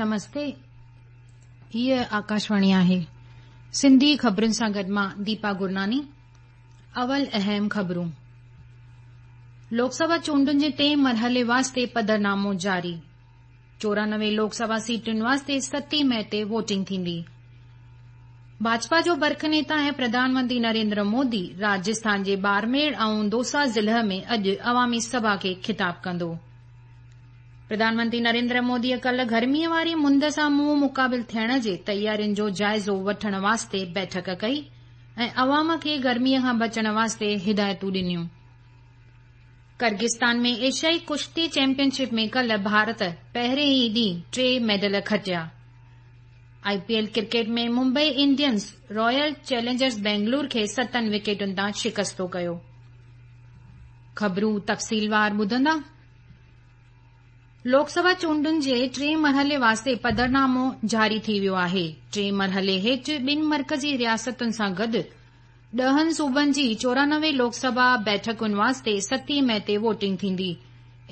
نمستي هيء آڪاشواڻي آهي سنڌي خبرن سان گڏ مان ديپا گرناني اول اهم خبرون لوڪ سڀا چونڊن جي ٽئين مرحلي واسطي پڌرنامو جاري 94 لوڪ سڀا سيٽن واسطي ستين مئي تي ووٽنگ ٿيندي. ڀاجپا جو برک نيتا ۽ پرڌان منتري نريندر مودي راجسٿان جي ٻاڙميڙ ۽ دوسا ضلع ۾ اڄ عوامي سڀا کي خطاب ڪندو. پرڌان منتري نريندر موديء ڪالهه گرميء واري مند سان منهن مقابل ٿيڻ جي تيارين جو جائزو وٺڻ واسطي بيٺڪ ڪئي ۽ عوام کي گرميء کان بچڻ واسطي هدايتون ڏنيون. ڪرغستان ۾ ايشيائي ڪشتي چيمپيئن شپ ۾ ڪالهه ڀارت پهرين ئي ڏينهن ٽي medal کٽيا. I P L cricket ۾ Mumbai Indians Royal Challengers Bangalore کي ستن وڪيٽن تان شڪستو ڪيو. خبرون تفصيلوار ٻڌندا. لوڪ سڀا چونڊن جي ٽئين مرحلي واسطي پڌرنامو جاري ٿي ويو آهي. ٽئين مرحلي هيٺ ٻن مرڪزي رياستن سان گڏ ڏهن صوبن جي 94 لوڪ سڀا بيٺڪن واسطي ستين مئي تي ووٽنگ ٿيندي.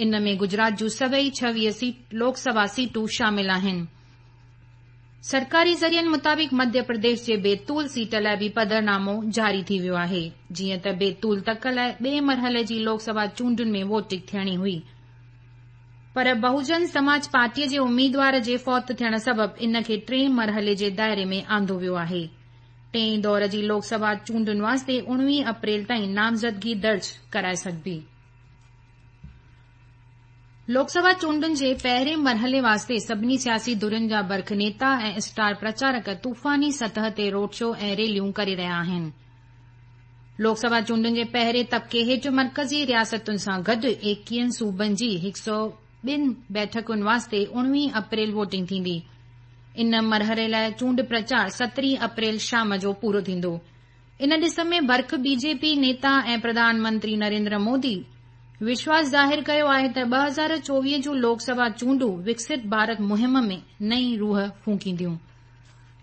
ان ۾ گجرات جون سڀئي 26 لوڪ سڀا سيٽون شامل آهن. سرڪاري ذريعن مطابق مڌيه پرديش جي بيتول سيٽ لاء به پڌرنامو جاري ٿي ويو آهي. جيئن ته بيتول تڪ لاء ٻئي مرحلي جي لوڪ سڀا چونڊن ۾ ووٽنگ ٿيڻي هئي پر بهوجن سماج پارٽيء جي اميدوار جي فوت ٿيڻ سبب ان کي ٽئين مرحلي جي دائري ۾ آندو ويو آهي. ٽئين دور جي لوڪ سڀا چونڊن واسطي 19 اپريل تائين نامزدگي درج ڪرائي سگهبي. لوڪ سڀا چونڊن جي پهرين مرحلي واسطي سڀني سياسي ڌرين جا برک نيتا ۽ اسٽار پرچارڪ طوفاني سطح تي روڊ شو ۽ ريليون ڪري رهيا آهن. لوڪ سڀا چونڊن جي پهرين طبقي هيٺ مرڪزي رياستن سان گڏ 21 صوبن جي 102 بيٺڪن واسطي 19 اپريل ووٽنگ ٿيندي. ان مرحلي لاء چونڊ پرچار 17 اپريل شام جو پورو ٿيندو. ان ڏس ۾ برک بي جي پي نيتا ۽ پرڌان منتري نريندر مودي وشواس ظاهر ڪيو آهي ته 2024 جون لوڪ سڀا چونڊون وڪست ڀارت مهم ۾ نئين روح ڦوڪينديون.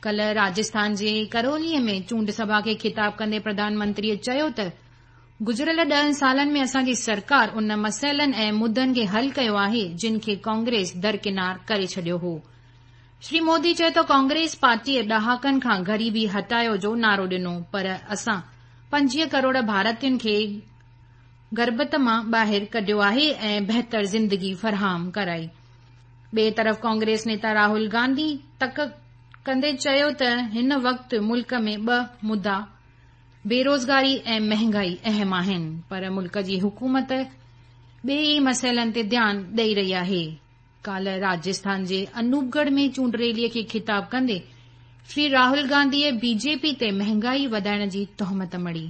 ڪالهه راجسٿان جي ڪرولي ۾ چونڊ سڀا کي خطاب ڪندي پرڌان منتريء چيو ته گذريل ڏهن سالن ۾ اسان جي سرڪار ان مسئلن ۽ مدن کي حل ڪيو آهي جن کي ڪانگريس درڪنار ڪري ڇڏيو هو. شري مودي چيو ته ڪانگريس پارٽيء ڏهاڪن کان غريبي هٽايو جو نعرو ڏنو پر اسان 25 ڪروڙ ڀارتين کي غربت مان ٻاهر ڪڍيو آهي ۽ بهتر زندگي فراهم ڪرائي. ٻئي طرف ڪانگريس نيتا راهول گانڌي تڪ ڪندي چيو ته هن وقت ملڪ ۾ ٻه مدعا بيروزگاري ۽ مهانگائي اهم آهن پر ملڪ جي حڪومت ٻئي ئي مسئلن تي ڌيان ڏئي رهي آهي. ڪالهه راجسٿان جي انوپ ڳڙهه ۾ چونڊ ريليء کي خطاب ڪندي شري راهول گانڌيء بي جي پي تي مهانگائي وڌائڻ جي تهمت مڙهي.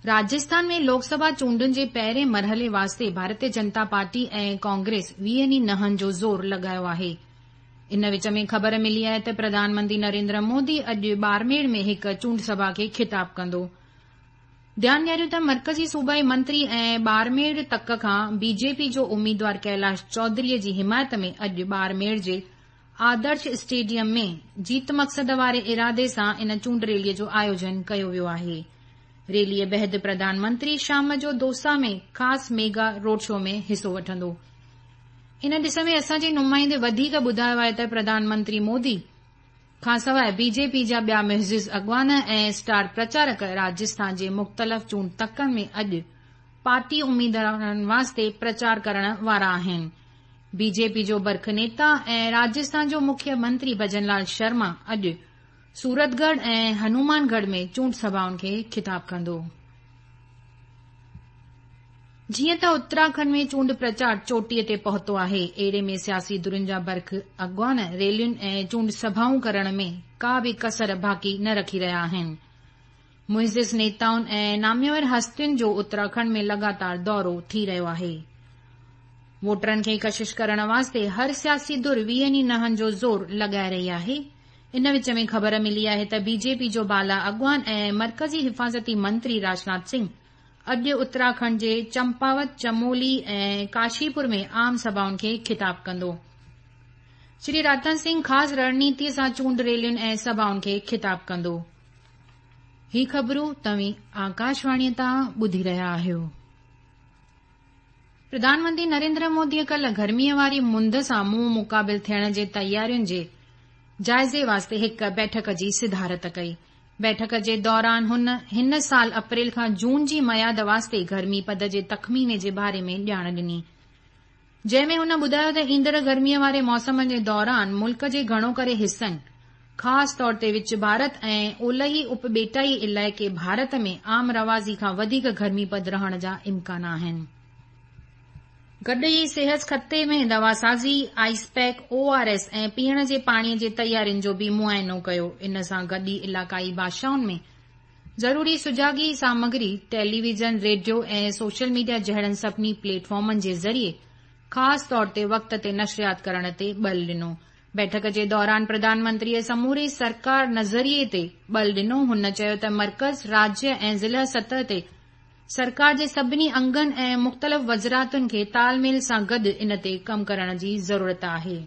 راجسٿان ۾ لوڪ سڀا چونڊن جي پهرين مرحلي واسطي ڀارتيه جنتا پارٽي ۽ ڪانگريس ويهن ئي ننهن جو زور لڳايو آهي. ان وچ ۾ خبر ملي آهي ته پرڌان منتري نريندر مودي اڄ ٻاڙميڙ ۾ هڪ چونڊ سڀا کي خطاب ڪندو. ڌيان ڏياريون ته مرڪزي صوبائي منتري ۽ ٻاڙميڙ تڪ کان بي جي پي جو اميدوار ڪيلاش چوڌري جي حمايت ۾ اڄ ٻاڙميڙ جي آدرش اسٽيڊيم ۾ جيت مقصد واري ارادي سان ان چونڊ ريلي جو آيوجن ڪيو ويو آهي. ريليء بعد پرڌان منتري شام جو دوسا ۾ خاص ميگا روڊ شو ۾ حصو وٺندو. ان ڏس ۾ اسان جي نمائندي وڌيڪ ٻڌايو آهي ته پرڌان منتري مودي کانسواء بي جي پي جا ٻيا معزز اڳواڻ ۽ اسٽار پرچارڪ راجسٿان جي مختلف چونڊ تڪن ۾ اڄ پارٽي اميدوارن واسطي پرچار ڪرڻ وارا آهن. بي جي پي جو برک نيتا ۽ راجسٿان جو مکيه منتري ڀجن لال شرما اڄ سورتڳڙهه ۽ هنومان ڳڙهه ۾ چونڊ سڀائن کي خطاب ڪندو. جيئن ته اتراکنڊ ۾ چونڊ پرچار چوٽيء تي پهتو آهي، اهڙي ۾ سياسي ڌرين جا برک اڳواڻ ريلين ۽ چونڊ سڀائون ڪرڻ ۾ ڪا به ڪسر باقي نه رکي رهيا آهن. معزز نيتائن ۽ ناميور هستين جو اتراکنڊ ۾ لڳاتار دورو ٿي رهيو آهي. ووٽرن کي ڪشش ڪرڻ واسطي هر سياسي ڌر ويهن ئي ننهن جو زور لڳائي رهي آهي. ان وچ ۾ خبر ملي آهي ته بي جي پي جو بالا اڳواڻ ۽ مرڪزي حفاظتي منتري راجناٿ سنگهه اڄ اتراکنڊ جي چمپاوت، چمولي ۽ ڪاشيپور ۾ عام سڀائن کي خطاب ڪندو. شري راجناٿ سنگهه خاص رڻنيتيء سان چونڊ ريلين ۽ سڀائن کي خطاب ڪندو. هي خبرون توهين آڪاشواڻيء تان ٻڌي رهيا آهيو. پرڌان منتري نريندر موديء ڪالهه گرميء واري مند سان منهن مقابل ٿيڻ جي تيارين جي جائزي واسطي هڪ بيٺڪ جي صدارت ڪئي. بيٺڪ جي دوران هن هن سال اپريل کان جون جي ميعاد واسطي گرمي پد جي تخميني جي باري ۾ ڄاڻ ڏني. جنهن ۾ هن ٻڌايو ته ايندڙ گرميء واري موسم جي دوران ملڪ جي گهڻو ڪري حصن خاص طور تي وچ ڀارت ۽ اولهي اپٻيٽائي علائقي ڀارت ۾ عام رواجي کان وڌيڪ گرمي پد رهڻ جا امڪان آهن. گڏ ئي صحت کاتي ۾ دواسازي، ice pack, O R S ۽ پيئڻ جي پاڻي جي تيارين جو به معائنو ڪيو. ان سان گڏ ئي علائقائي ڀاشائن ۾ ضروري سجاڳي سامگري، ٽيليويزن، ريڊيو ۽ سوشل ميڊيا جهڙن سڀني پليٽ فارمن جي ذريعي خاص طور تي وقت تي نشريات ڪرڻ تي ٻل ڏنو. بيٺڪ جي دوران پرڌان منتريء سموري سرڪار نظريي تي ٻل ڏنو. هن چيو ته مرڪز، راجيه ۽ ضلع سطح تي سرڪار جي سڀني انگن ۽ مختلف وزارتن کي تال ميل سان گڏ ان تي ڪم ڪرڻ جي ضرورت آهي.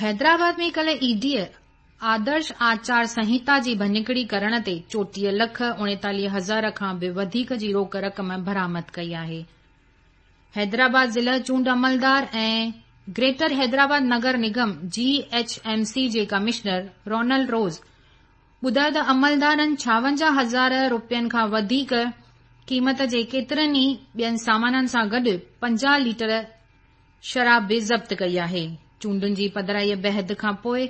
حيدرآباد ۾ ڪالهه اي ڊيء آدرش آچار سنهتا جي ڀڃڪڙي ڪرڻ تي 34 لک 39 هزار کان به وڌيڪ جي روڪ رقم برآمد ڪئي آهي. حيدرآباد ضلع چونڊ عملدار ۽ گريٽر حيدرآباد نگر نگم، جي ايڇ ايم سي، جي ڪمشنر رونلڊ روز ٻڌايو ته عملدارن 56 هزار رپين کان وڌيڪ قيمت جي ڪيترن ئي ٻين سامانن سان گڏ 50 ليٽر شراب به ضبط ڪئي آهي. چونڊن جي پڌرائيء بعد کان پوء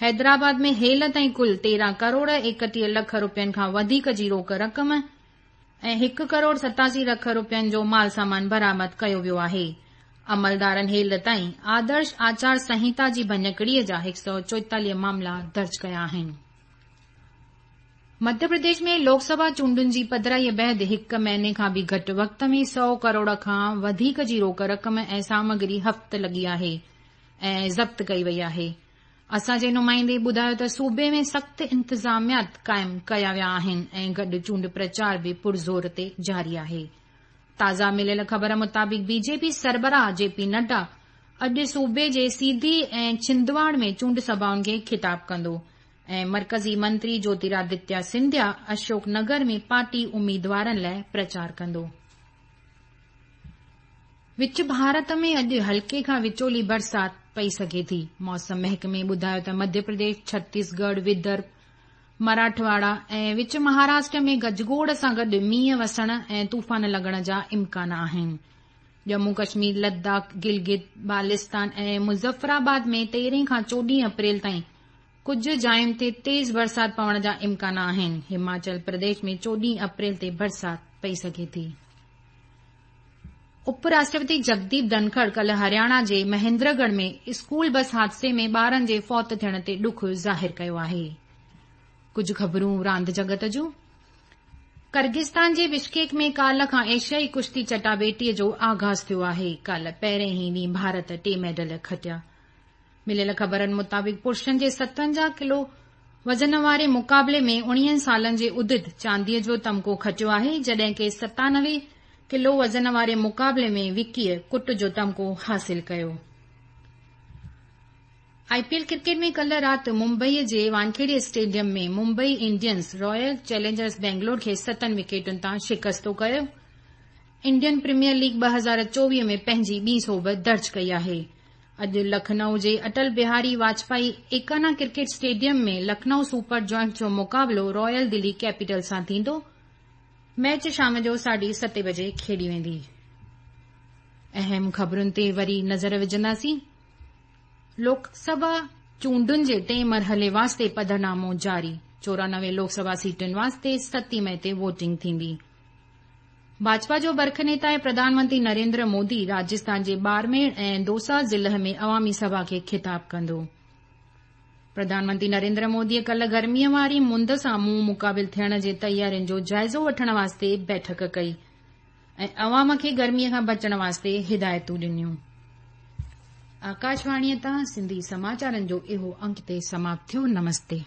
حيدرآباد ۾ هيل تائين ڪل 13 ڪروڙ 31 لک رپين کان وڌيڪ جي روڪ رقم ۽ هڪ ڪروڙ 87 لک رپين جو مال سامان برآمد ڪيو ويو آهي. عملدارن هيل تائين آدرش آچار سنهتا جي ڀڃڪڙيء جا 144 معاملا درج ڪيا آهن. مڌيه پرديش ۾ لوڪ سڀا چونڊن جي پڌرائيء بعد هڪ مهيني کان به گهٽ وقت ۾ سئو ڪروڙ کان وڌيڪ جي روڪ رقم ۽ سامگري هٿ لڳي آهي ۽ ضبط ڪئي وئي آهي. اسان جي نمائندي ٻڌايو ته صوبي ۾ سخت انتظاميات قائم ڪيا ويا آهن ۽ گڏ چونڊ پرچار به پرزور تي جاري آهي. تازه مليل خبر مطابق بي جي پي سربراهه جي پي نڊا اڄ صوبي جي سيڌي ۽ ڇندواڙ ۾ چونڊ سڀائن کي خطاب ڪندو ۽ مرڪزي منتري جوتيرادتيا سنڌيا اشوڪ نگر ۾ پارٽي اميدوارن لاء پرچار ڪندو. وچ ڀارت ۾ اڄ هلڪي کان وچولي برسات پئي سگهي ٿي. موسم محڪمي ٻڌايو ته مڌيه پرديش، ڇتيسڳڙهه، ودرڀ، مراٺواڙا ۽ وچ مهاراشٽر ۾ گجگوڙ سان گڏ مينهن وسڻ ۽ طوفان لڳڻ جا امڪان آهن. ڄمون ڪشمير، لداخ، گلگت بالستان ۽ مظفرآباد ۾ 13 کان 14 اپريل تائين ڪجهه جاين تي تيز برسات پوڻ جا امڪان آهن. هماچل پرديش ۾ 14 اپريل تي برسات پئي سگهي ٿي. اپ راشٽرپتي جگديپ ڌنکڙ ڪالهه هرياڻا جي مهندرڳڙهه ۾ اسڪول بس حادثي ۾ ٻارن جي فوت ٿيڻ تي ڏک ظاهر ڪيو آهي. ڪجهه خبرون راند جڳت جون. ڪرغستان جي بشڪيڪ ۾ ڪالهه کان ايشيائي ڪشتي چٽاڀيٽي جو آغاز ٿيو آهي. ڪالهه پهرين ئي ڏينهن ڀارت ٽي ميڊل کٽيا. مليل خبرن مطابق پرشن جي 57 ڪلو وزن واري مقابلي ۾ 19 سالن جي ادت چانديء جو تمغو کٽيو آهي، جڏهن ڪي 97 ڪلو وزن واري مقابلي ۾ وڪيء ڪٽ جو تمغو حاصل ڪيو. آء پي ايل ڪرڪيٽ ۾ ڪلهه رات ممبئيء جي Wankhede stadium ۾ Mumbai Indians Royal Challengers Bangalore کي ستن وڪيٽن تان شڪستو ڪيو. انڊين پريميئر ليگ 2024 ۾ پنهنجي ٻي سوڀ درج ڪئي آهي. اڄ لکنؤ جي Atal Bihari Vajpayee Ekana cricket stadium ۾ Lucknow super giants جو مقابلو رائل دلي ڪيپيٽلز سان ٿيندو. ميچ شام جو ساڍي ستين بجي کيڏي ويندي. اهم خبرن تي وري نظر وجهنداسين. لوڪ سڀا چونڊن جي ٽئين مرحلي واسطي پڌرنامو جاري، 94 لوڪ سڀا سيٽن واسطي ستين مئي تي ووٽنگ ٿيندي. ڀاجپا جو برک نيتا ۽ پرڌان منتري نريندر مودي راجسٿان جي ٻاڙميڙ ۽ دوسا ضلع ۾ عوامي سڀا کي خطاب ڪندو. پرڌان منتري نريندر موديء ڪلهه گرميء واري مند سان منهن مقابل ٿيڻ جي تيارين جو جائزو وٺڻ واسطي بيٺڪ ڪئي ۽ عوام کي گرميء کان بچڻ واسطي هدايتون ڏنيون. آڪاشواڻيء تان سنڌي سماچارن جو اهو انڪ هتي سماپت ٿيو. نمستي.